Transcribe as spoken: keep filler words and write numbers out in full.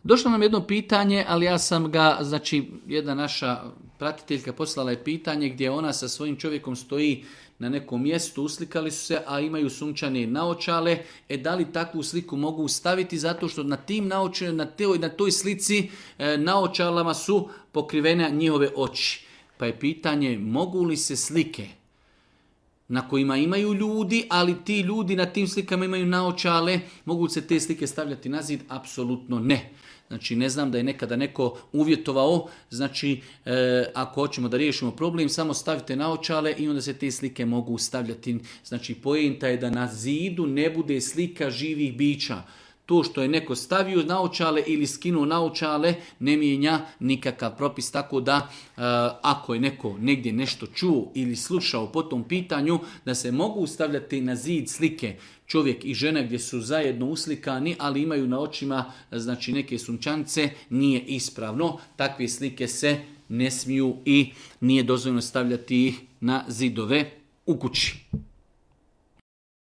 Došlo nam jedno pitanje, ali ja sam ga, znači jedna naša pratiteljka poslala je pitanje gdje ona sa svojim čovjekom stoji na nekom mjestu, uslikali su se, a imaju sunčane naočale. E da li takvu sliku mogu staviti zato što na tim naočalama, na toj, na toj slici e, naočalama su pokrivene njihove oči. Pa je pitanje mogu li se slike na kojima imaju ljudi, ali ti ljudi na tim slikama imaju naočale, mogu se te slike stavljati na zid? Apsolutno ne. Znači ne znam da je nekada neko uvjetovao, znači e, ako hoćemo da riješimo problem, samo stavite naočale i onda se te slike mogu stavljati. Znači poenta je da na zidu ne bude slika živih bića. To što je neko stavio naočale ili skinuo naočale ne mijenja nikakav propis, tako da e, ako je neko negdje nešto čuo ili slušao po tom pitanju da se mogu stavljati na zid slike čovjek i žena gdje su zajedno uslikani, ali imaju na očima znači neke sunčance, nije ispravno. Takve slike se ne smiju i nije dozvoljeno stavljati na zidove u kući.